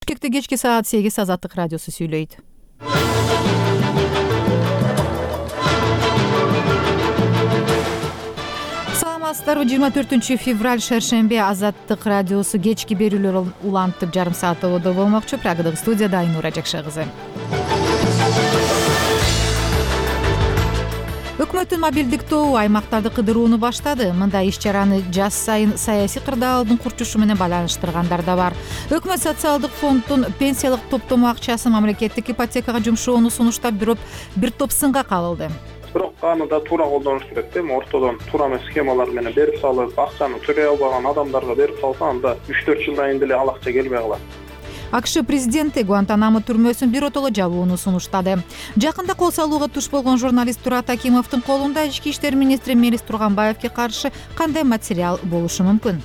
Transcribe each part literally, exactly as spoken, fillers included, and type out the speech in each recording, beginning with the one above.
Бишкекте кечки саат сегиз Азаттык радиосу сүйлөйт. Саламатсыздарбы? жыйырма төртүнчү февраль шершемби Азаттык радиосу кечки берүүлөр улантып жарым саат ободо болмокчу. Прагадагы студияда Айнура Жакша кызы. Өкмөттүн мобилдик тобу аймактарды кыдырууну баштады. Мындай иш-чараны жаз сайын саясий кырдаалдын курчушу менен байланыштыргандар да бар. Өкмөт социалдык фонддун пенсиялык топтомо акчасын мамлекеттик ипотекага жумшоону сунуштап бирок бир топ сынга кабылды. Бирок аны да туура колдонуш керек да. Ортодон туура эмес схемалар менен берип салып, акчаны төлөй албаган адамдарга берип салса, анда үч төрт жылдан кийин деле ал акча келбей калат. АКШ президенти Гуантанамо түрмөсүн биротоло жабууну сунуштады. Жакында кол салууга туш болгон журналист Турат Акимовдун колунда ички иштер министри Мелис Турганбаевге каршы кандай материал болушу мүмкүн?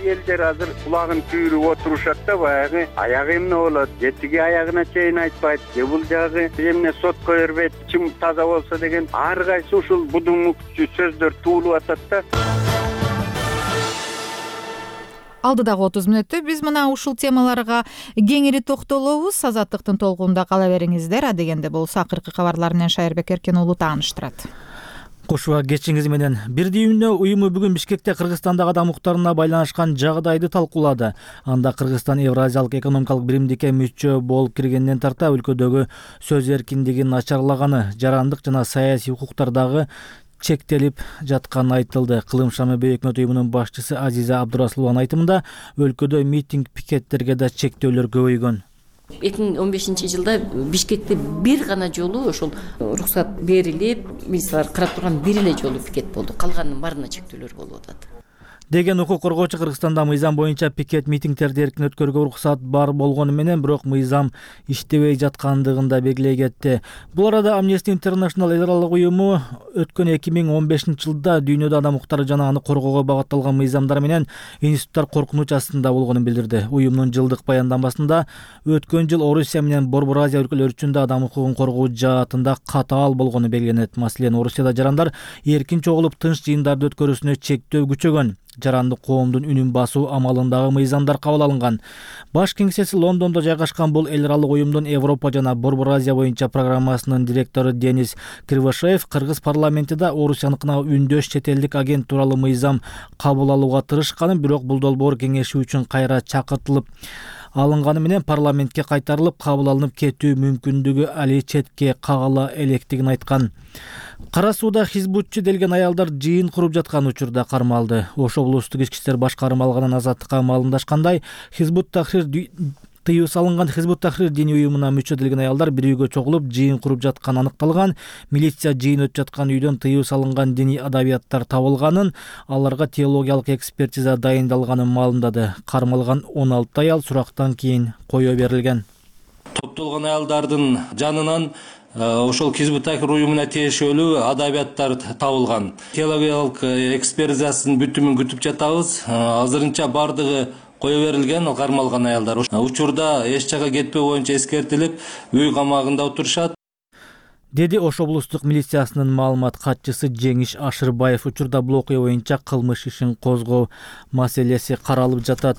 Элдер азыр кулагын түйрүп отурушат да, баягы аягы эмне болот, жетиги аягына чейин айтпайт, же бул жагы эмне сотко бербейт, чым таза болсо деген ар кайсы ушул будуңмук сөздөр туулуп атат да. Алдыдагы отуз мүнөттө биз мына ушул темаларга кеңири токтолобуз. Азаттыктын толкунунда кала бериңиздер. А дегенде болсо акыркы кабарлар менен Шайырбек Эркен уулу тааныштырат. Кошуга кечиңиз менен. Бир дүйнө уюму бүгүн Бишкекте Кыргызстандагы адам укуктарына байланышкан жагдайды талкуулады. Анда Кыргызстан Евразиялык экономикалык биримдикке мүчө болуп киргенден тарта өлкөдөгү сөз эркиндигин начарлаганы, жарандык жана саясий укуктардагы чектелип жатканы айтылды. Кылым ШМБ өкмөт уюмунун башчысы Азиза Абдурасулованын айтымында өлкөдө митинг, пикеттерге да чектөөлөр көбөйгөн. эки миң он бешинчи жылда Бишкекте бир гана жолу ошол уруксат берилип, милициялар карап турган бир эле жолу пикет болду. Калганынын баарына чектөөлөр болуп атат деген укук коргоочу Кыргызстанда мыйзам боюнча пикет митингтерди эркин өткөрүүгө уруксат бар болгону менен бирок мыйзам иштебей жаткандыгын да белгилей кетти. Бул арада Amnesty International эл аралык уюму өткөн эки миң он бешинчи жылда дүйнөдө адам укуктары жана аны коргоого багытталган мыйзамдар менен институттар коркунуч астында болгонун билдирди. Уюмдун жылдык баяндамасында өткөн жыл Орусия менен Борбор Азия өлкөлөрү үчүн да адам укугун коргоо жаатында катаал болгону белгиленет. Маселен, Орусияда жарандар эркин чогулуп тынч жыйындарды өткөрүүсүнө чектөө күчөгөн. Жарандык коомдун үнүн басуу амалындагы мыйзамдар кабыл алынган. Баш кеңсеси Лондондо жайгашкан бул эл аралык уюмдун Европа жана Борбор Азия боюнча программасынын директору Денис Кривошеев Кыргыз парламентинде Орусияныкына үндөш чет элдик агент тууралуу мыйзам кабыл алууга тырышканын, бирок бул долбоор кеңешүү үчүн кайра чакыртылып алынганы менен парламентке кайтарылып кабыл алынып кетүү мүмкүндүгү али четке кагыла электигин айткан. Кара сууда хизбутчу делген аялдар жыйын куруп жаткан учурда кармалды. Ош облустук ички иштер башкармы алган Азаттыкка маалымдашкандай, Хизбут Тахрир тыюу салынган Хизбут Тахрир диний уюмуна мүчө делген аялдар бир үйгө чогулуп жыйын куруп жатканы аныкталган. Милиция жыйын өтүп жаткан үйдөн тыюу салынган диний адабияттар табылганын, аларга теологиялык экспертиза дайындалганын маалымдады. Кармалган он алты аял сурактан кийин кое берилген. Топтолгон аялдардын жанынан ошол Хизбут Тахрир уюмуна тиешелүү адабияттар табылган. Теологиялык экспертизасынын бүтүмүн күтүп жатабыз. Азырынча бардыгы кое берилген кармалган аялдар. Учурда эч жака кетпөө боюнча эскертилип, үй камагында отурушат, деди Ош облустук милициясынын маалымат катчысы Жеңиш Ашырбаев. Учурда бул окуя боюнча кылмыш ишин козгоо маселеси каралып жатат.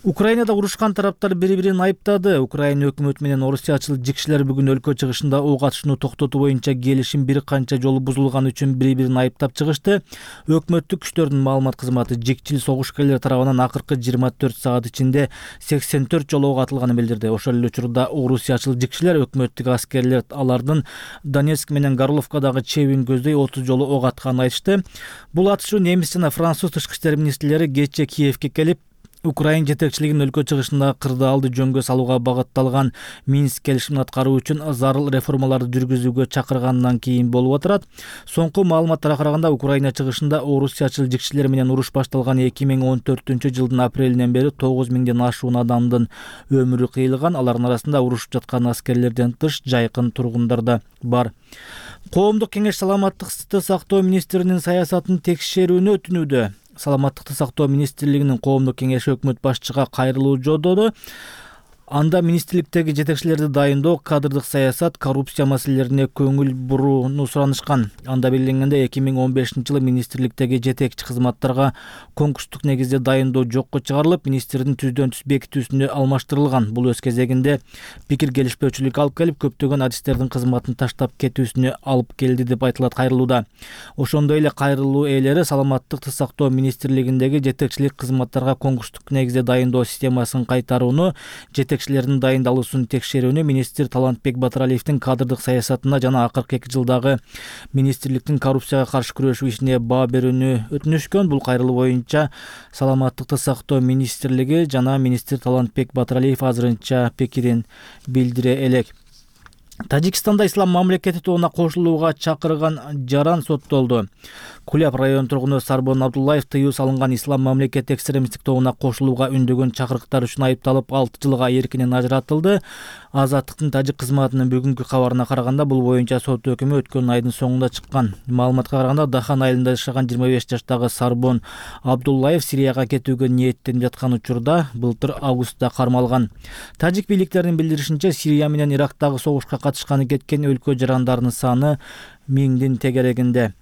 Украинада урушкан тараптар бири-бирин айыптады. Украина өкмөтү менен орусиячыл жикшилер бүгүн өлкө чыгышында ок атышууну токтотуу боюнча келишим бир канча жолу бузулганы үчүн бири-бирин айыптап чыгышты. Өкмөттүк күчтөрдүн маалымат кызматы жикчил согушкерлер тарабынан акыркы жыйырма төрт саат ичинде сексен төрт жолу ок атылганын билдирди. Ошол эле учурда орусиячыл жикшилер өкмөттүк аскерлер алардын Донецк менен Горловкадагы чебин көздөй отуз жолу ок атканын айтышты. Бул атышуу немис жана француз тышкы иштер министрлери кечээ Киевке келип, Украин жетекчилигинин өлкө чыгышында кырдаалды жөнгө салууга багытталган Минск келишимин аткаруу үчүн зарыл реформаларды жүргүзүүгө чакыргандан кийин болуп отурат. Соңку маалыматтарга караганда Украина чыгышында орусиячыл жикшилер менен уруш башталган эки миң он төртүнчү жылдын апрелинен бери тогуз миңден ашуун адамдын өмүрү кыйылган. Алардын арасында урушуп жаткан аскерлерден тыш жайкын тургундар да бар. Коомдук кеңеш саламаттыкты сактоо министринин саясатын текшерүүнү өтүнүүдө. Саламаттыкты сактоо министрлигинин коомдук кеңеши өкмөт башчыга кайрылуу жолдоду. Анда министрликтеги жетекчилерди дайындоо, кадрдык саясат, коррупция маселелерине көңүл бурууну суранышкан. Анда белгиленгендей, эки миң он бешинчи жылы министрликтеги жетекчи кызматтарга конкурстук негизде дайындоо жокко чыгарылып, министрдин түздөн түз бекитүүсүнө алмаштырылган. Бул өз кезегинде пикир келишпөөчүлүккө алып келип, көптөгөн адистердин кызматын таштап кетүүсүнө алып келди деп айтылат кайрылууда. Ошондой эле кайрылуу ээлери саламаттыкты сактоо министрлигиндеги жетекчилик кызматтарга конкурстук негизде дайындоо системасын кайтарууну, жетекчилердин дайындалуусун текшерүүнү, министр Талантбек Батыралиевдин кадрдык саясатына жана акыркы эки жылдагы министрликтин коррупцияга каршы күрөшүү ишине баа берүүнү өтүнүшкөн. Бул кайрылуу боюнча саламаттыкты сактоо министрлиги жана министр Талантбек Батыралиев азырынча пикирин билдире элек. Тажикстанда ислам мамлекети тобуна кошулууга чакырган жаран соттолду. Куляб район тургуну Сарбон Абдуллаев тыюу салынган ислам мамлекети экстремисттик тобуна кошулууга үндөгөн чакырыктар үчүн айыпталып алты жылга эркинен ажыратылды. Азаттыктын тажик кызматынын бүгүнкү кабарына караганда, бул боюнча сот өкүмү өткөн айдын соңунда чыккан. Маалыматка караганда, Дахан айылында жашаган жыйырма беш жаштагы Сарбон Абдуллаев Сирияга кетүүгө ниеттенип жаткан учурда былтыр августта кармалган. Тажик бийликтеринин билдиришинче, Сирия менен Ирактагы согушка катышканы кеткен өлкө жарандарынын саны миңдин тегерегинде.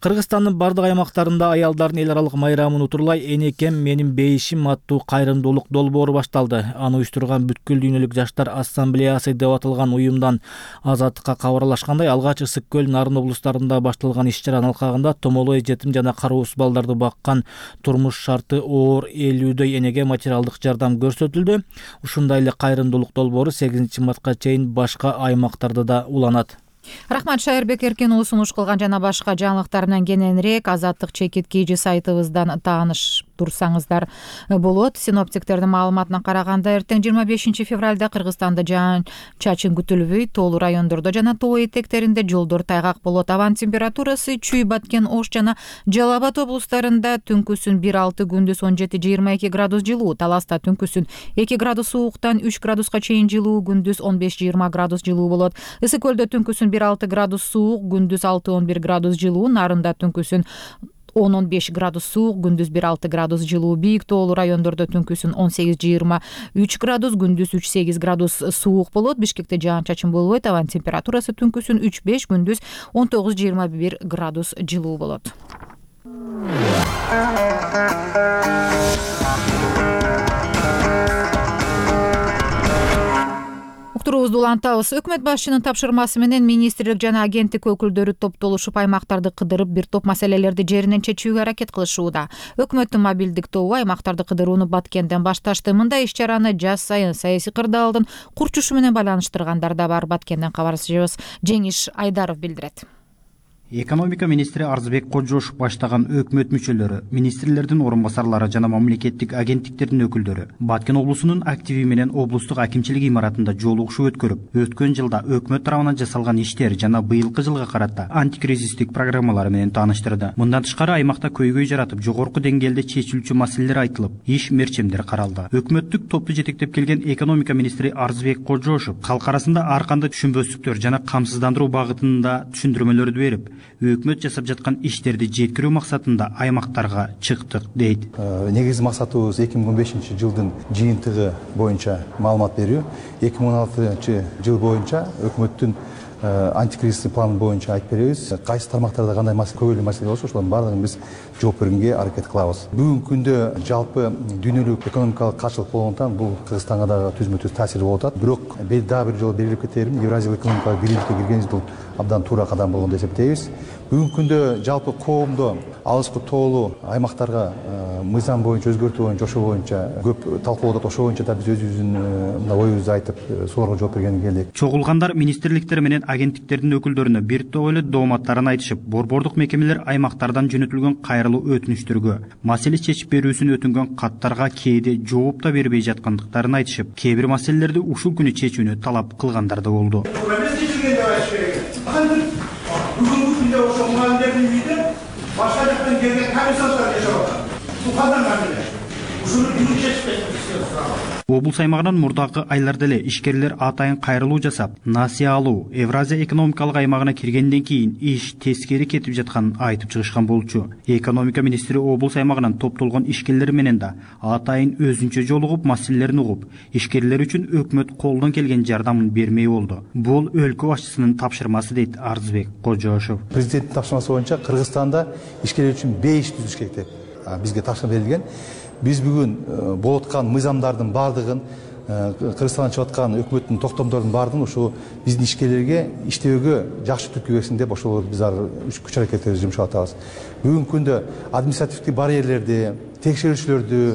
Кыргызстандын бардык аймактарында аялдардын эл аралык майрамын утурлай «Энекем менин бейишим» аттуу кайрымдуулук долбоору башталды. Аны уюштурган Бүткүл дүйнөлүк жаштар ассамблеясы деп аталган уюмдан Азаттыкка кабарлашкандай, алгач Ысык көл, Нарын облустарында башталган иш-чаранын алкагында томолой, жетим жана кароосуз балдарды баккан, турмуш шарты оор элүүдөй энеге материалдык жардам көрсөтүлдү. Ушундай эле кайрымдуулук долбоору сегизинчи мартка чейин башка аймактарда да уланат. Рахмат, Шайырбек Эркенұлы сунуш кылган жана башка жаңылыктар менен кененирээк Азаттык чекиткейжи сайтыбыздан тааныш турсаңыздар болот. Синоптиктердин маалыматына караганда, эртең жыйырма бешинчи февралда Кыргызстанда жаан-чачын күтүлбөй, тоолуу райондордо жана тоо этектеринде жолдор тайгак болот. Абанын температурасы Чүй, Баткен, Ош жана Жалал Абад облустарында түнкүсүн бир алты, күндүз он жети жыйырма эки градус жылуу, Таласта түнкүсүн эки градус сууктан үч градуска чейин жылуу, күндүз он беш жыйырма градус жылуу болот. Ысык көлдө түнкүсүн бир алты градус суук, күндүз алты он бир градус жылуу, Нарында түнкүсүн он он беш градус суук, күндүз бир алты градус жылуу, бийик тоолуу райондордо түнкүсүн он сегиз жыйырма үч градус, күндүз үч сегиз градус суук болот. Бишкекте жаан-чачын болбойт, абанын температурасы түнкүсүн үч беш, күндүз он тогуз жыйырма бир градус жылуу болот. Уктуруубузду улантабыз. Өкмөт башчынын тапшырмасы менен министрлик жана агенттик өкүлдөрү топтолушуп аймактарды кыдырып, бир топ маселелерди жеринен чечүүгө аракет кылышууда. Өкмөттүн мобилдик тобу аймактарды кыдырууну Баткенден башташты. Мындай иш-чараны жаз сайын саясий кырдаалдын курчушу менен байланыштыргандар да бар. Баткенден кабарчыбыз Жеңиш Айдаров билдирет. Экономика министри Арзыбек Кожошов баштаган өкмөт мүчөлөрү, министрлердин орун басарлары жана мамлекеттик агенттиктердин өкүлдөрү Баткен облусунун активи менен облустук акимчилик имаратында жолугушуу өткөрүп, өткөн жылда өкмөт тарабынан жасалган иштер жана быйылкы жылга карата антикризистик программалары менен тааныштырды. Мындан тышкары аймакта көйгөй жаратып, жогорку деңгээлде чечилүүчү маселелер айтылып, иш мерчемдер каралды. Өкмөттүк топту жетектеп келген экономика министри Арзыбек Кожошов калк арасында ар кандай түшүнбөстүктөр жана камсыздандыруу багытында түшүндүрмөлөрдү берип, өкмөт жасап жаткан иштерди жеткирүү максатында аймактарга чыктык дейт. Негизги максатыбыз эки миң он бешинчи жылдын жыйынтыгы боюнча маалымат берүү. эки миң он алтынчы жыл боюнча өкмөттүн антикризистик планы боюнча айтып беребиз. Кайсы тармактарда кандай көбөлүү маселе болсо, ошолордун баардыгын биз жооп бергенге аракет кылабыз. Бүгүнкү күндө жалпы дүйнөлүк экономикалык каршылык болгондуктан бул Кыргызстанга дагы түзмө-түз таасири болуп атат. Бирок дагы бир жолу белгилеп кетерим, Евразиялык экономикалык бийликке киргенибиз бул абдан туура кадам болгон деп эсептейбиз. Бүгүнкү күндө жалпы коомдо алыскы тоолуу аймактарга мыйзам боюнча өзгөртүү боюнча ошо боюнча көп талкуулап атат. Ошо боюнча да биз өзүбүздүн оюбузду айтып, солорго жооп бергенге келдик. Чогулгандар министрликтер менен агенттиктердин өкүлдөрүнө бир топ эле дооматтарын айтышып, борбордук мекемелер аймактардан жөнөтүлгөн кайрылуу өтүнүчтөргө, маселе чечип берүүсүн өтүнгөн каттарга кээде жооп да бербей жаткандыктарын айтышып, кээ бир маселелерди ушул күнү чечүүнү талап кылгандар да болду. Бүгүнкү күндө ошо мугалимдердин үйүндө башка жактан келген комиссарлар жашап атат. Бул кандай мамиле? Ушуну бүгүн чечип кетишибиз керек. Облус аймагынан мурдагы айларда эле ишкерлер атайын кайрылуу жасап, насыя алуу Евразия экономикалык аймагына киргенден кийин иш тескери кетип жатканын айтып чыгышкан болчу. Экономика министри облус аймагынан топтолгон ишкерлер менен да атайын өзүнчө жолугуп, маселелерин угуп, ишкерлер үчүн өкмөт колдон келген жардамын бермей болду. Бул өлкө башчысынын тапшырмасы дейт Арзбек Кожошов. Президенттин тапшырмасы боюнча Кыргызстанда ишкерлер үчүн беш түзүш керек деп бизге тапшырма берилген. Биз бүгүн болуп аткан мыйзамдардын бардыгын, Кыргызстандан чыгып аткан өкмөттүн токтомдордун бардыгын ошо биздин ишкерлерге иштөөгө жакшы түрткү берсин деп ошол биз ар күч аракеттерди жумшап атабыз. Бүгүнкү күндө административдик барьерлерди, текшерүүчүлөрдү,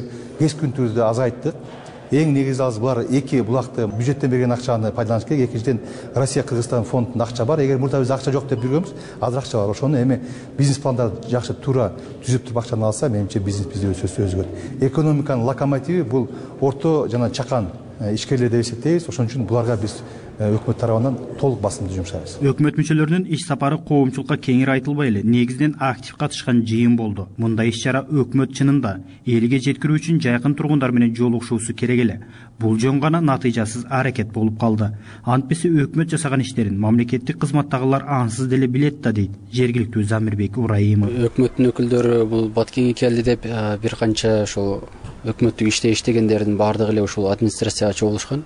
кескүнтүүрдү азайттык. Эң негизи алыс булар эки булакты бюджеттен берген акчаны пайдаланыш керек. Экинчиден Россия Кыргызстан фондунда акча бар. Эгер мурда биз акча жок деп жүргөнбүз, азыр акча бар. Ошону эми бизнес пландарды жакшы туура түзүп туруп акчаны алса, менимче бизнес бизде өсө өзгөрөт. Экономиканын локомотиви бул орто жана чакан ишкерлер деп эсептейбиз. Ошон үчүн буларга биз өкмөт тарабынан толук басымды жумшайбыз. Өкмөт мүчөлөрүнүн иш сапары коомчулукка кеңири айтылбай эле негизинен актив катышкан жыйын болду. Мындай иш-чара өкмөт чынында элге жеткирүү үчүн жайкын тургундар менен жолугушуусу керек эле. Бул жөн гана натыйжасыз аракет болуп калды. Антпесе өкмөт жасаган иштерин мамлекеттик кызматтагылар ансыз деле билет да дейт жергиликтүү Замирбек Урайымов. Өкмөттүн өкүлдөрү бул Баткенге келди деп бир канча ошол өкмөттүк иште иштегендердин баардыгы эле ушул администрацияга чогулушкан.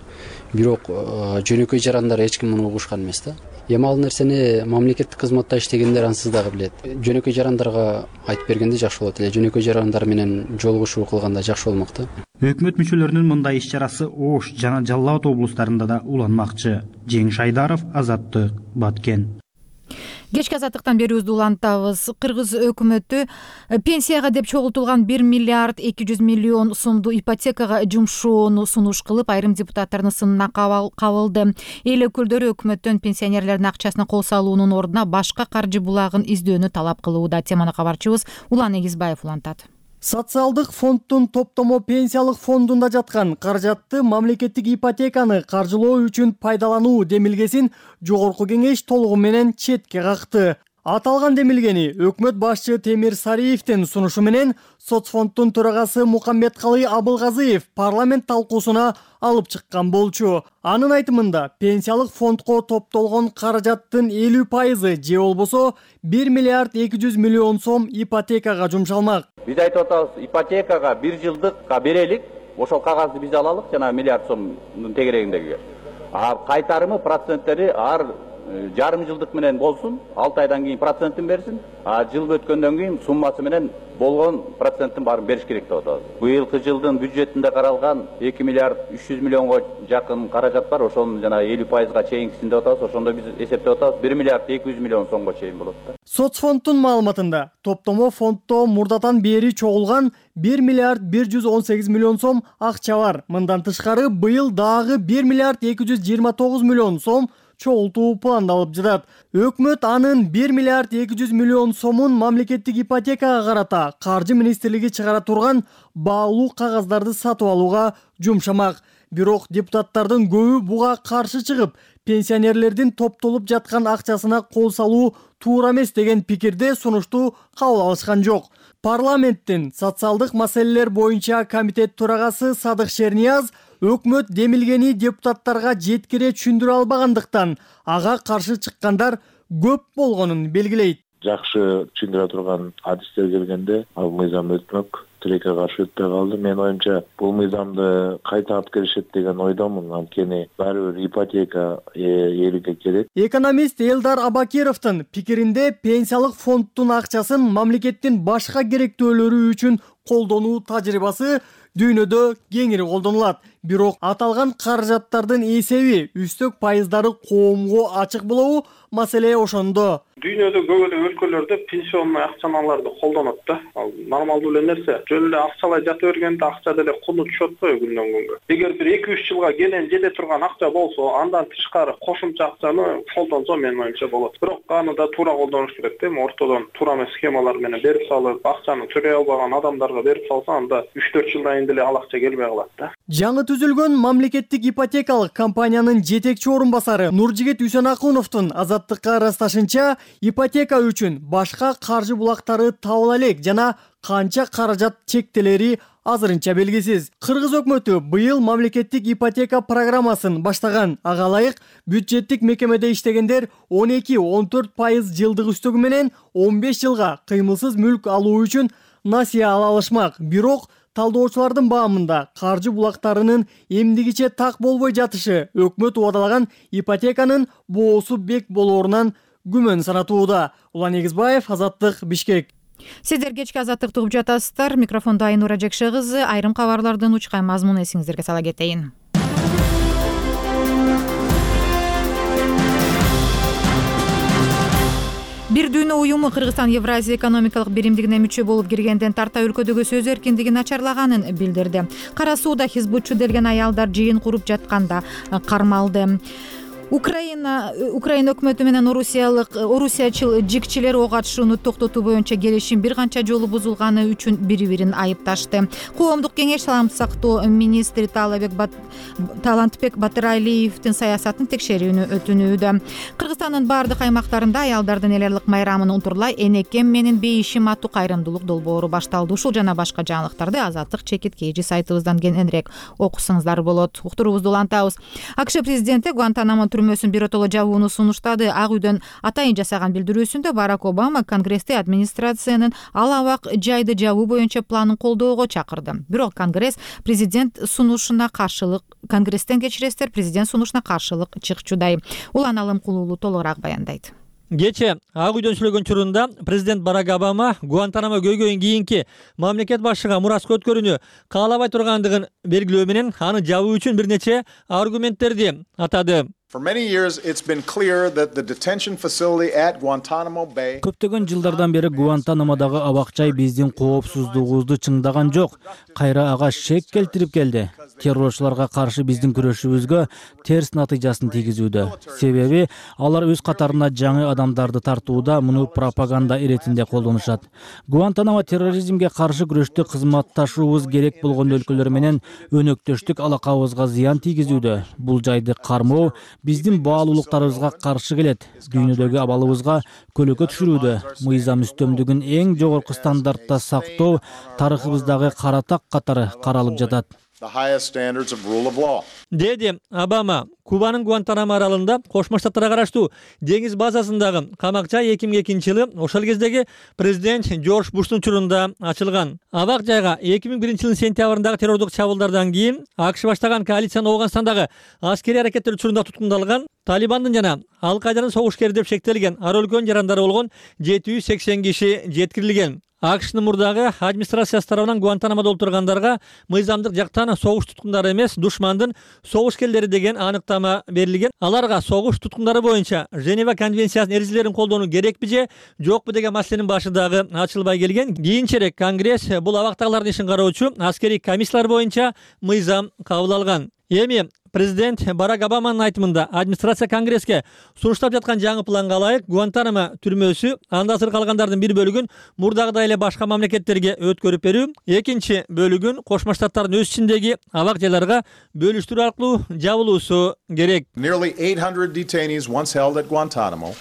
Бирок жөнөкөй жарандар эч ким муну угушкан эмес да. Эми ал нерсени мамлекеттик кызматта иштегендер ансыз дагы билет. Жөнөкөй жарандарга айтып бергенде жакшы болот эле. Жөнөкөй жарандар менен жолугушуу кылганда жакшы болмок да. Өкмөт мүчөлөрүнүн мындай иш-чарасы Ош жана Жалал Абад облустарында да уланмакчы. Жеңиш Айдаров, Азаттык, Баткен. Кечки азаттыктан берүүбүздү улантабыз. Кыргыз өкмөтү пенсияга деп чогултулган бир миллиард эки жүз миллион сомду ипотекага жумшоону сунуш кылып, айрым депутаттардын сынына кабылды. Эл өкүлдөрү өкмөттөн пенсионерлердин акчасына кол салуунун ордуна башка каржы булагын издөөнү талап кылууда. Теманы кабарчыбыз Улан Эгизбаев улантат. Социалдык фонддун топтомо пенсиялык фондунда жаткан каражатты мамлекеттик ипотеканы каржылоо үчүн пайдалануу демилгесин жогорку кеңеш толугу менен четке какты. Аталган демилгени өкмөт башчы Темир Сариевдин сунушу менен соцфонддун төрагасы Мукамбеткалый Абылгазыев парламент талкуусуна алып чыккан болчу. Анын айтымында пенсиялык фондко топтолгон каражаттын элүү пайызы же болбосо бир миллиард эки жүз миллион сом ипотекага жумшалмак. Биз айтып атабыз, ипотекага бир жылдыкка берелик, ошол кагазды биз алалык жана миллиард сомдун тегерегиндеги. А кайтарымы проценттери ар жарым жылдык менен болсун, алты айдан кийин процентин берсин, а жыл өткөндөн кийин суммасы менен болгон проценттин баарын бериш керек деп атабыз. Быйылкы жылдын бюджетинде каралган эки миллиард үч жүз миллионго жакын каражат бар, ошонун жана элүү пайызга чейинкисин деп атабыз. Ошондо биз эсептеп атабыз бир миллиард эки жүз миллион сомго чейин болот да. Соцфонддун маалыматында топтомо фонддо мурдатан бери чогулган бир миллиард бир жүз он сегиз миллион сом акча бар. Мындан тышкары быйыл дагы бир миллиард эки жүз жыйырма тогуз миллион сом чогултуу пландалып жатат. Өкмөт анын бир миллиард эки жүз миллион сомун мамлекеттик ипотекага карата Каржы министрлиги чыгара турган баалуу кагаздарды сатып алууга жумшамак. Бирок депутаттардын көбү буга каршы чыгып, пенсионерлердин топтолуп жаткан акчасына кол салуу туура эмес деген пикирде сунушту кабыл алышкан жок. Парламенттин социалдык маселелер боюнча комитет төрагасы Садык Шернияз өкмөт демилгени депутаттарга жеткире түшүндүрө албагандыктан ага каршы чыккандар көп болгонун белгилейт. Жакшы түшүндүрө турган адистер келгенде ал мыйзам өтмөк, тилекке каршы өтпөй калды. Мен оюмча бул мыйзамды кайта алып келишет деген ойдомун. Анткени баары бир ипотека элге керек. Экономист Элдар Абакировдун пикиринде пенсиялык фонддун акчасын мамлекеттин башка керектөөлөрү үчүн колдонуу тажрыйбасы дүйнөдө кеңири колдонулат. Бирок аталган каражаттардын эсеби, үстөк пайыздары коомго ачык болобу? Маселе ошондо. Дүйнөдө көп эле өлкөлөрдө пенсионный акчаларды колдонот да. Ал нормалдуу эле нерсе. Жөн эле акчалай жата бергенде акча деле куну түшөт го күндөн күнгө. Эгер бир эки үч жылга келен жете турган акча болсо, андан тышкары кошумча акчаны колдонсо менин оюмча болот. Бирок аны да туура колдонуш керек да. Ортодон туура эмес схемалар менен берип салып, акчаны төрөй албаган адамдарга берип салса, анда үч төрт жылдан кийин деле ал акча келбей калат да. Жаңы түзүлгөн мамлекеттик ипотекалык компаниянын жетекчи орун басары Нуржигит Үсөнакуновдун Азаттыкка ырасташынча, ипотека үчүн башка каржы булактары табыла элек жана канча каражат чектелери азырынча белгисиз. Кыргыз өкмөтү быйыл мамлекеттик ипотека программасын баштаган. Ага ылайык бюджеттик мекемеде иштегендер он эки он төрт пайыз жылдык үстөгү менен он беш жылга кыймылсыз мүлк алуу үчүн насыя ала алышмак. Бирок талдоочулардын баамында каржы булактарынын эмдигиче так болбой жатышы өкмөт убадалаган ипотеканын боосу бек болоорунан күмөн санатууда. Улан Эгизбаев, Азаттык, Бишкек. Сиздер кечки Азаттыкты угуп жатасыздар. Микрофондо Айнура Жекше кызы. Айрым кабарлардын учкай мазмунун эсиңиздерге сала кетейин. Бир дүйнө уюму Кыргызстан Евразия экономикалык биримдигине мүчө болуп киргенден тарта өлкөдөгү сөз эркиндиги начарлаганын билдирди. Кара Сууда хизбутчу делген аялдар жыйын куруп жатканда кармалды. Украина Украина өкмөтү менен орусиялык орусиячыл жикчилер ок атышууну токтотуу боюнча келишим бир канча жолу бузулганы үчүн бири-бирин айыпташты. Коомдук кеңеш саламатты сактоо министри Талантбек Талантбек Батыралиевдин саясатын текшерүүнү өтүнүүдө. Кыргызстандын бардык аймактарында аялдардын эл айлык майрамын унтурлай энекем менин бейишим аттуу кайрымдуулук долбоору башталды. Ушул жана башка жаңылыктарды Азаттык чекит kg сайтыбыздан кененирээк окусаңыздар болот. Уктуруубузду улантабыз. АКШ президенти Гуантанамо түрмөсүн биротоло жабууну сунуштады. Ак үйдөн атайын жасаган билдирүүсүндө Барак Обама Конгрессте администрациянын ал абак жайды жабуу боюнча планын колдоого чакырды. Бирок Конгресс президент сунушуна каршылык Конгресстен кечиресиздер, президент сунушуна каршылык чыкчудай. Улан Алымкулуулу толугураак баяндайт. Кече Ак үйдөн сүйлөгөн учурунда президент Барак Обама Гуантанамо көйгөйүн кийинки мамлекет башчыга мураска өткөрүүнү каалабай тургандыгын белгилөө менен аны жабуу үчүн бир нече аргументтерди атады. Көптөгөн жылдардан бери Гуантанамодагы абакчай биздин коопсуздугубузду чыңдаган жок. Кайра ага шек келтирип келди. Террорчуларга каршы биздин күрөшүбүзгө терс натыйжасын тийгизүүдө. Себеби алар өз катарына жаңы адамдарды тартууда муну пропаганда иретинде колдонушат. Гуантанамо терроризмге каршы күрөштө кызматташуубуз керек болгон өлкөлөр менен өнөктөштүк алакабызга зыян тийгизүүдө. Бул жайды кармоо биздин баалуулуктарыбызга каршы келет. Дүйнөдөгү абалыбызга көлөкө түшүрүүдө. Мыйзам үстөмдүгүн эң жогорку стандартта сактоо тарыхыбыздагы каратак катары каралып жатат. Деди Обама Кубанын Гуантанамо аралында Кошмо Штаттарга караштуу деңиз базасындагы камак-жай эки миң экинчи жылы ошол кездеги президент Джордж Буштун учурунда ачылган. Абак жайга эки миң биринчи жылдын сентябрындагы террордук чабуулдардан кийин АКШ баштаган коалициянын Ооганстандагы аскерий аракеттер учурунда туткундалган Талибандын жана Ал-Кайданын согушкери деп шектелген ар өлкөнүн жарандары болгон жети жүз сексен киши жеткирилген. АКШнын мурдагы администрациясы тарабынан Гуантанамодо отургандарга мыйзамдык жактан согуш туткундары эмес, душмандын согушкерлери деген аныктама берилген. Аларга согуш туткундары боюнча Женева конвенциясынын эрежелерин колдонуу керекпи же жокпу деген маселенин башы дагы ачылбай келген. Кийинчерээк Конгресс бул абактагылардын ишин кароочу аскерий комиссиялар боюнча мыйзам кабыл алган. Эми президент Барак Обаманын айтымында администрация Конгресске сунуштап жаткан жаңы планга ылайык Гуантанамо түрмөсү анда асыр калгандардын бир бөлүгүн мурдагыдай эле башка мамлекеттерге өткөрүп берүү, экинчи бөлүгүн Кошмо Штаттардын өз ичиндеги абак жайларга бөлүштүрүү аркылуу жабылуусу керек. Nearly eight hundred detainees once held at Guantanamo.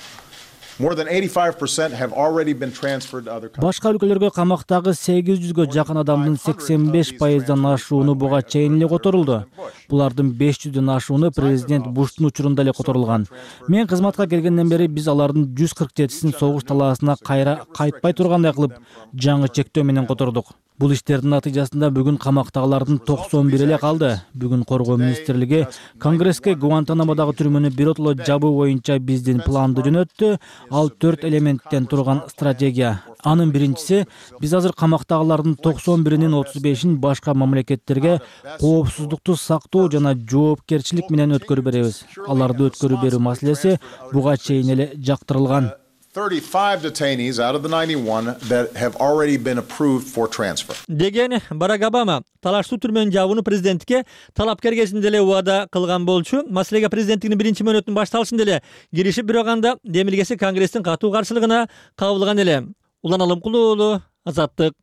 More than eighty-five percent have already been transferred to other countries. Башка өлкөлөргө камактагы сегиз жүзгө жакын адамдын сексен беш пайыздан ашууну буга чейин эле которулду. Булардын беш жүздөн ашууну президент Буштун учурунда эле которулган. Мен кызматка келгенден бери биз алардын жүз кырк жетисин согуш талаасына кайра кайтпай тургандай кылып жаңы чектөө менен котордук. Бул иштердин натыйжасында бүгүн камактагылардын токсон бир эле калды. Бүгүн коргоо министрлиги Конгресске Гуантанамодагы түрмөнү биротоло жабуу боюнча биздин планды жөнөттү. Ал төрт элементтен турган стратегия. Анын биринчиси, биз азыр камактагылардын токсон биринин отуз бешин башка мамлекеттерге коопсуздукту сактоо жана жоопкерчилик менен өткөрүп беребиз. Аларды өткөрүп берүү маселеси буга чейин эле жактырылган. thirty-five detainees out of the ninety-one that have already been approved for transfer. Деген Барак Обама талаштуу түрмөнүн жабууну президентке талапкер кезинде эле убада кылган болчу. Маселеге президенттигинин биринчи мөөнөтүнүн башталышында эле киришип бирок демилгеси Конгресстин катуу каршылыгына кабылган эле. Улан Алымкулуулу, Азаттык.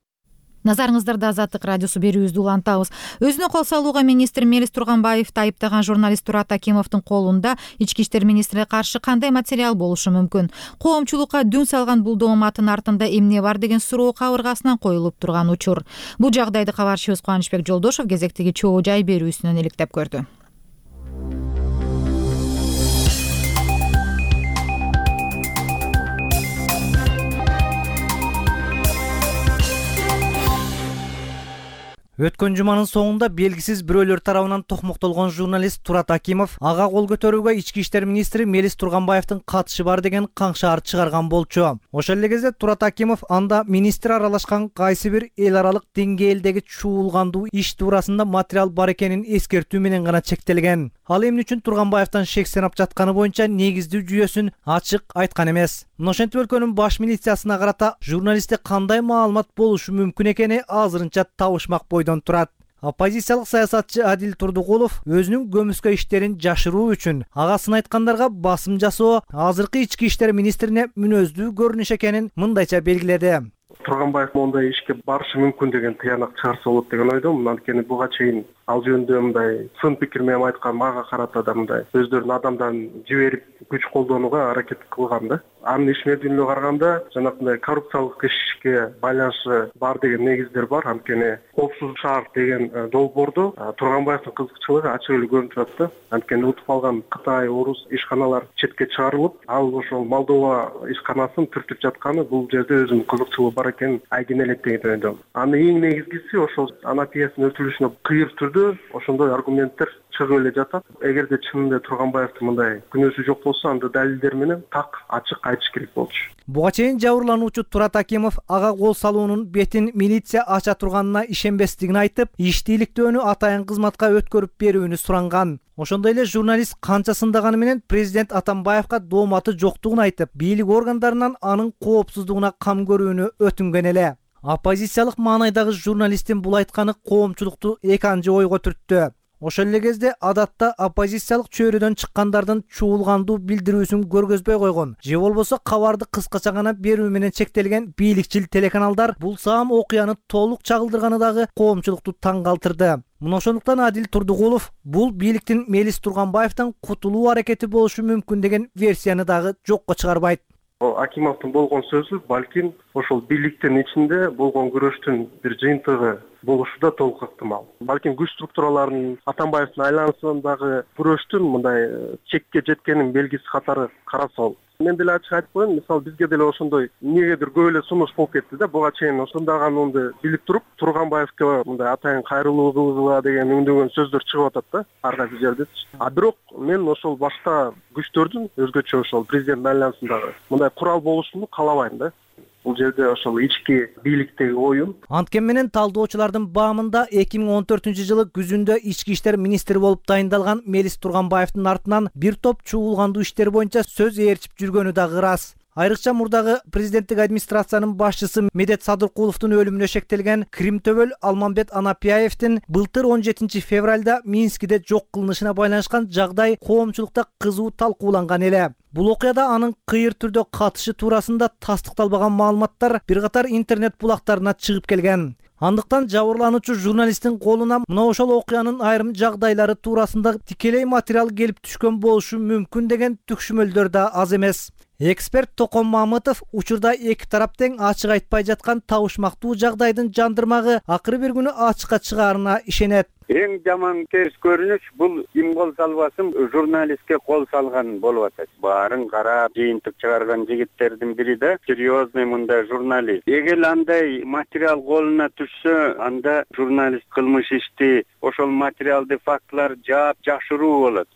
Назарыңыздарда Азаттык радиосу берүүбүздү улантабыз. Өзүнө кол салууга министр Мелис Турганбаевди айыптаган журналист Турат Акимовдун колунда ички иштер министрине каршы кандай материал болушу мүмкүн? Коомчулукка дүн салган бул дооматтын артында эмне бар деген суроо кабыргасынан коюлуп турган учур. Бул жагдайды кабарчыбыз Кубанычбек Жолдошов кезектеги чоо жай берүүсүнөн иликтеп көрдү. Өткөн жуманын соңунда белгисиз бирөөлөр тарабынан токмоктолгон журналист Турат Акимов ага кол көтөрүүгө ички иштер министри Мелис Турганбаевдин катышы бар деген каңшаар чыгарган болчу. Ошол эле кезде Турат Акимов анда министр аралашкан кайсы бир эл аралык деңгээлдеги чуулгандуу иш туурасында материал бар экенин эскертүү менен гана чектелген. Ал эмне үчүн Турганбаевден шек санап жатканы боюнча негиздүү жүйөсүн ачык айткан эмес. Ошентип өлкөнүн баш милициясына карата журналистте кандай маалымат болушу мүмкүн экени азырынча табышмак бойдон турат. Оппозициялык саясатчы Адил Турдугулов өзүнүн көмүскө иштерин жашыруу үчүн агасын айткандарга басым жасоо азыркы ички иштер министрине мүнөздүү көрүнүш экенин мындайча белгиледи. Турганбаев мондай ишке барышы мүмкүн деген тыянак чыгарса болот деген ойдомун. Анткени буга чейин ал жөнүндө мындай сын пикир менен айткан мага карата да мындай өздөрүнүн адамдарын жиберип күч колдонууга аракет кылган да. Анын иш мезгилине караганда жанагындай коррупциялык ишке байланышы бар деген негиздер бар. Анткени Коопсуз шаар деген долбоордо Турганбаевдин кызыкчылыгы ачык эле көрүнүп турат да. Анткени утуп алган Кытай, орус ишканалар четке чыгарылып, ал ошол Молдова ишканасын түртүп жатканы бул жерде өзүнүн кызыкчылыгы бар экенин айгин элек деген ойдомун. Анын эң негизгиси ошол анапиясынын өтүлүшүнө кыйыр түрдө ошондой аргументтер чыгып эле жатат. Эгерде чынында Турганбаевдин мындай күнөөсү жок болсо, анда далилдер менен так ачык айтыш керек болчу. Буга чейин жабырлануучу Турат Акимов ага кол салуунун бетин милиция ача турганына ишенбестигин айтып, иштийликтөөнү атайын кызматка өткөрүп берүүнү суранган. Ошондой эле журналист канча сындаганы менен президент Атамбаевга дооматы жоктугун айтып, бийлик органдарынан анын коопсуздугуна кам көрүүнү өтүнгөн эле. Оппозициялык маанайдагы журналисттин бул айтканы коомчулукту эки анча ойго түрттү. Ошол эле кезде адатта оппозициялык чөйрөдөн чыккандардын чуулгандуу билдирүүсүн көргөзбөй койгон же болбосо кабарды кыскача гана берүү менен чектелген бийликчил телеканалдар бул саам окуяны толук чагылдырганы дагы коомчулукту таң калтырды. Мына ошондуктан Адил Турдугулов бул бийликтин Мелис Турганбаевден кутулуу аракети болушу мүмкүн деген версияны дагы жокко чыгарбайт. Акимовдун болгон сөзү балким ошол бийликтин ичинде болгон күрөштүн бир жыйынтыгы болушу да толук ыктымал. Балким күч структураларынын Атамбаевдин айланасындагы күрөштүн мындай чекке жеткенин белгиси катары караса болот. Мен деле ачык айтып коеюн, мисалы бизге деле ошондой эмнегедир көп эле сунуш болуп кетти да. Буга чейин ошондаганымды билип туруп, Турганбаевге мындай атайын кайрылуу кылгыла деген үндөгөн сөздөр чыгып атат да, ар кайсы жердечи. А бирок мен ошол башка күчтөрдүн өзгөчө ошол президент айланасындагы мындай курал болушун каалабайм да. Бул жерде ошол ички бийликтеги оюн. Анткени менен талдоочулардын баамында эки миң он төртүнчү жылы күзүндө ички иштер министри болуп дайындалган Мелис Турганбаевдин артынан бир топ чуулгандуу иштер боюнча сөз ээрчип жүргөнү дагы ырас. Айрыкча мурдагы президенттик администрациянын башчысы Медет Садыркуловдун өлүмүнө шектелген Кримтөбөл Алмамбет Анапияевдин былтыр он жетинчи февралда Минскиде жок кылынышына байланышкан жагдай коомчулукта кызуу талкууланган эле. Бул окуяда анын кыйыр түрдө катышы туурасында тастыкталбаган маалыматтар бир катар интернет булактарына чыгып келген. Андыктан жабырлануучу журналисттин колуна мына ошол окуянын айрым жагдайлары туурасында тикелей материал келип түшкөн болушу мүмкүн деген түкшүмөлдөр да аз эмес. Эксперт Токон Мамытов учурда эки тарап тең ачык айтпай жаткан табышмактуу жагдайдын жандырмагы акыры бир күнү ачыкка чыгаарына ишенет. Эң жаман терс көрүнүш бул ким кол салбасын журналистке кол салган болуп атат. Баарын карап жыйынтык чыгарган жигиттердин бири да серьезный мындай журналист. Эгер андай материал колуна түшсө, анда журналист кылмыш ишти ошол материалды фактылар жаап жашыруу болот.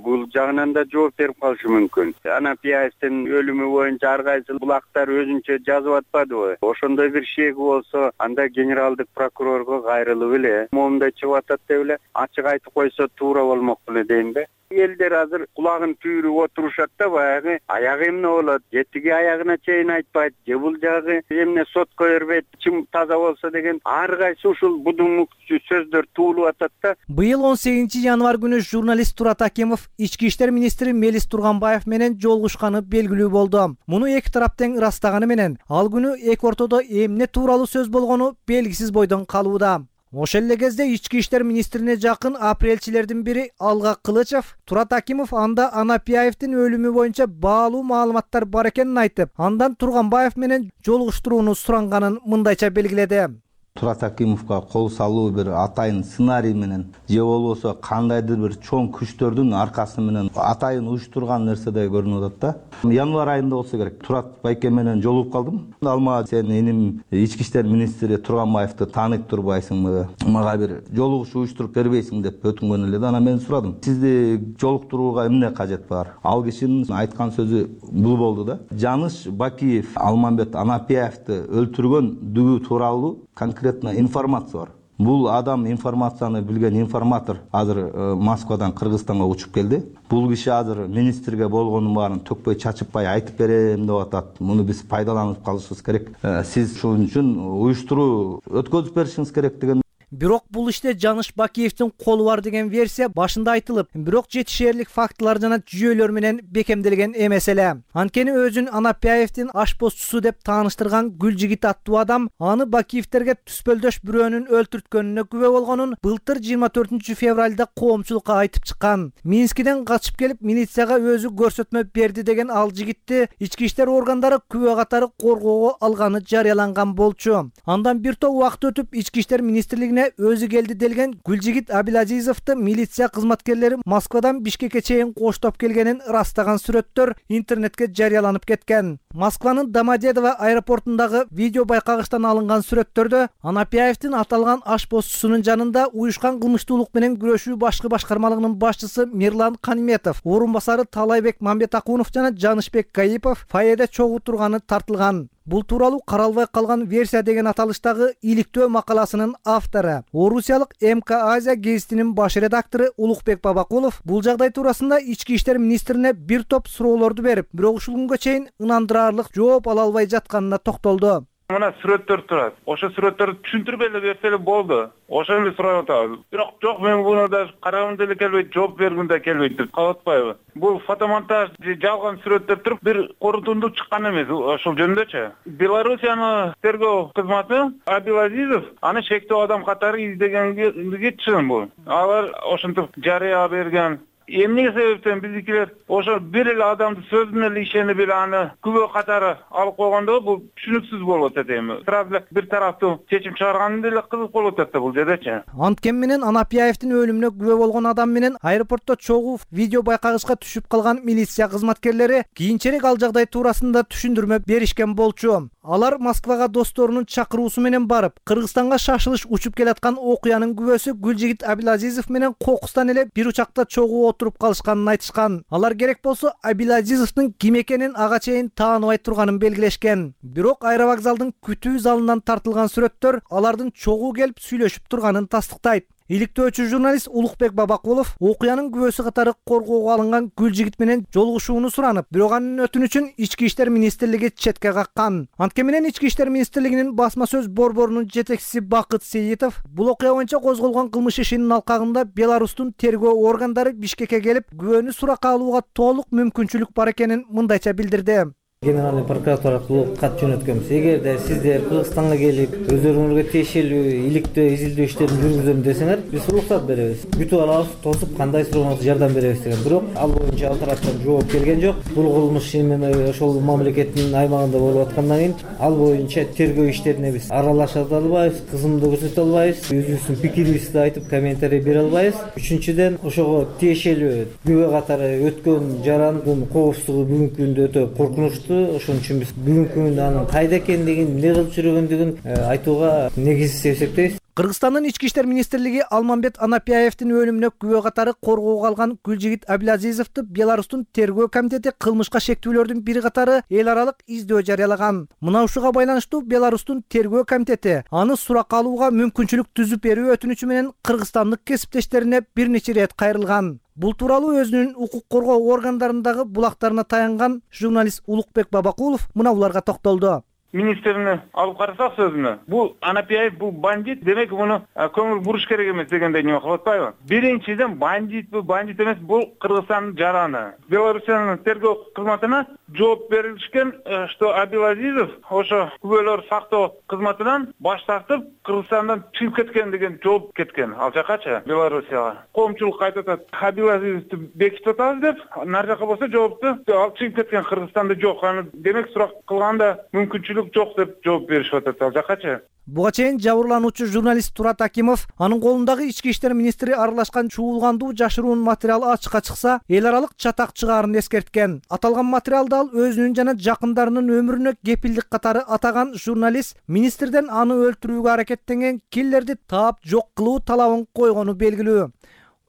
Бул жагынан да жооп берип калышы мүмкүн. Анапияевдин өлүмү боюнча ар кайсы булактар өзүнчө жазып атпадыбы? Ошондой бир шеги болсо, анда генералдык прокурорго кайрылып эле момундай чыгып атат деп эле ачык айтып койсо туура болмок беле дейм да. Элдер министрлер азыр кулагын түйүрүп отурушат да, баягы аягы эмне болот, же тиги аягына чейин айтпайт, же бул жагы эмне сотко бербейт, ичим таза болсо деген ар кайсы ушул будуңмук сөздөр туулуп атат да. Быйыл он сегизинчи январь күнү журналист Турат Акимов ички иштер министри Мелис Турганбаев менен жолугушканы белгилүү болду. Муну эки тарап тең ырастаганы менен ал күнү эки ортодо эмне тууралуу сөз болгону белгисиз бойдон калууда. Ошол эле кезде ички иштер министрине жакын апрелчилердин бири Алга Кылычев Турат Акимов анда Анапияевдин өлүмү боюнча баалуу маалыматтар бар экенин айтып, андан Турганбаев менен жолугуштурууну суранганын мындайча белгиледи. Турат Акимовго кол салуу бир атайын сценарий менен же болбосо кандайдыр бир чоң күчтөрдүн аркасы менен атайын уюштурган нерседей көрүнүп атат да. Январь айында болсо керек. Турат байке менен жолугуп калдым. Ал мага сен иним ички иштер министри Турганбаевди тааныйт турбайсыңбы? Мага бир жолугуш уюштуруп бербейсиң деп өтүнгөн эле да. Анан мен сурадым. Сизди жолуктурууга эмне кажет бар? Ал кишинин айткан сөзү бул болду да. Жаныш Бакиев Алмамбет Анапияевди өлтүргөндүгү тууралуу конкретно информация бар. Бул адам информацияны билген информатор азыр Москвадан Кыргызстанга учуп келди. Бул киши азыр министрге болгонун баарын төкпөй чачыппай айтып берем деп атат. Муну биз пайдаланып калышыбыз керек. Сиз ушун үчүн уюштуруу өткөзүп беришиңиз керек деген. Бирок бул иште Жаныш Бакиевдин колу бар деген версия башында айтылып, бирок жетишээрлик фактылар жана жүйөлөр менен бекемделген эмес эле. Анткени өзүн Анапияевдин ашпозчусу деп тааныштырган Гүлжигит аттуу адам аны Бакиевтерге түспөлдөш бирөөнүн өлтүрткөнүнө күбө болгонун былтыр жыйырма төртүнчү февралда коомчулукка айтып чыккан. Минскиден качып келип милицияга өзү көрсөтмө берди деген ал жигитти ички иштер органдары күбө катары коргоого алганы жарыяланган болчу. Андан бир топ убакыт өтүп ички иштер министрлигине өзү келди делген Гүлжигит Абилазизовду милиция кызматкерлери Москвадан Бишкекке чейин коштоп келгенин ырастаган сүрөттөр интернетке жарыяланып кеткен. Москванын Домодедово аэропортундагы видео байкагычтан алынган сүрөттөрдө Анапияевдин аталган ашпозчусунун жанында уюшкан кылмыштуулук менен күрөшүү башкы башкармалыгынын башчысы Мирлан Каниметов, орун басары Талайбек Мамбетакунов жана Жанышбек Гаипов фойеде чогуу турганы тартылган. Бул тууралуу каралбай калган версия деген аталыштагы иликтөө макаласынын автору, Орусиялык эм ка Азия гезитинин баш редактору Улукбек Бабакулов бул жагдай туурасында ички иштер министрине бир топ суроолорду берип, бирок ушул күнгө чейин ынандырарлык жооп ала албай жатканына токтолду. Мына сүрөттөр турат. Ошо сүрөттөрдү түшүндүрүп эле берсе эле болду. Ошо эле сурап атабыз. Бирок жок, мен буну да карагым деле келбейт, жооп бергим да келбейт деп калып атпайбы? Бул фотомонтаж жалган сүрөттөр туруп бир корутунду чыккан эмес ошол жөнүндөчү. Белоруссиянын тергөө кызматы Абилазизов аны шектүү адам катары издегенге чын бул. Алар ошентип жарыя берген. Эмне себептен биздикилер ошо бир эле адамды сөзүнө эле ишенип эле аны күбө катары алып койгондо бул түшүнүксүз болуп атат эми. Сразу бир тараптуу чечим чыгарганы деле кызык болуп атат да бул жердечи. Анткени менен Анапияевдин өлүмүнө күбө болгон адам менен аэропортто чогуу видео байкагычка түшүп калган милиция кызматкерлери кийинчерээк ал жагдай туурасында түшүндүрмө беришкен болчу. Алар Москвага досторунун чакыруусу менен барып, Кыргызстанга шашылыш учуп келаткан окуянын күбөсү Гүлжигит Абилазизов менен кокустан эле бир учакта чогуу отуруп калышканын айтышкан. Алар керек болсо Абилазизовдун ким экенин ага чейин тааныбай турганын белгилешкен. Бирок аэровокзалдын күтүү залынан тартылган сүрөттөр алардын чогуу келип сүйлөшүп турганын тастыктайт. Иликтөөчү журналист Улукбек Бабакулов окуянын күбөсү катары коргоого алынган Гүлжигит менен жолугушууну суранып, бирок анын өтүнүчүн ички иштер министрлиги четке каккан. Анткени менен ички иштер министрлигинин басма сөз борборунун жетекчиси Бакыт Сейитов бул окуя боюнча козголгон кылмыш ишинин алкагында Беларустун тергөө органдары Бишкекке келип, күбөнү суракка алууга толук мүмкүнчүлүк бар экенин мындайча билдирди. Генеральный прокуратура аркылуу кат жөнөткөнбүз. Эгерде сиздер Кыргызстанга келип, өздөрүңөргө тиешелүү иликтөө изилдөө иштерин жүргүзөм десеңер, биз уруксат беребиз. Күтүп алабыз, тосуп кандай сурооңузга жардам беребиз деген. Бирок ал боюнча ал тараптан жооп келген жок. Бул кылмыш эми ошол мамлекеттин аймагында болуп аткандан кийин ал боюнча тергөө иштерине биз аралаша да албайбыз, кызымды көрсөтө албайбыз, өзүбүздүн пикирибизди айтып комментарий бере албайбыз. Үчүнчүдөн ошого тиешелүү күбө катары өткөн жарандын коопсуздугу бүгүнкү күндө өтө коркунучтуу. Ошон үчүн биз бүгүнкү күндө анын кайда экендигин, эмне кылып жүргөндүгүн айтууга негизсиз деп эсептейбиз. Кыргызстандын ички иштер министрлиги Алмамбет Анапияевдин өлүмүнө күбө катары коргоого алган Гүлжигит Абилазизовду Беларустун тергөө комитети кылмышка шектүүлөрдүн бир катары эл аралык издөө жарыялаган. Мына ушуга байланыштуу Беларустун тергөө комитети аны суракка алууга мүмкүнчүлүк түзүп берүү өтүнүчү менен кыргызстандык кесиптештерине бир нече ирет кайрылган. Бул тууралуу өзүнүн укук коргоо органдарындагы булактарына таянган журналист Улукбек Бабакулов мына буларга токтолду. Министрини алып карасак сөзүнө, бул Анапияев бул бандит, демек муну көңүл буруш керек эмес дегендей неме кылып атпайбы? Биринчиден бандит бул бандит эмес, бул Кыргызстандын жараны. Белоруссиянын тергөө кызматына жооп берилишкен, что Абилазизов ошо күбөлөр сактоо кызматынан баш тартып, Кыргызстандан чыгып кеткен деген жооп кеткен. Ал жакачы Белоруссияга. Коомчулук айтат, Абилазизовду бекитип атабыз деп, нар жака болсо жоопту ал чыгып кеткен Кыргызстанда жок. Аны демек сурак кылганда мүмкүнчүлүк жок деп жооп беришип атат. Ал жакачы. Буга чейин жабырлануучу журналист Турат Акимов анын колундагы ички иштер министри аралашкан чуулгандуу жашыруун материал ачыкка чыкса, эл аралык чатак чыгаарын эскерткен. Аталган материалды ал өзүнүн жана жакындарынын өмүрүнө кепилдик катары атаган журналист министрден аны өлтүрүүгө аракеттенген киллерди таап жок кылуу талабын койгону белгилүү.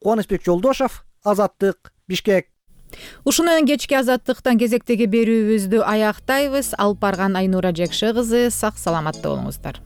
Кубанычбек Жолдошов, Азаттык, Бишкек. Ушуну менен кечки Азаттыктан кезектеги берүүбүздү аяктайбыз. Алып барган Айнура Жекше кызы, сак саламатта болуңуздар.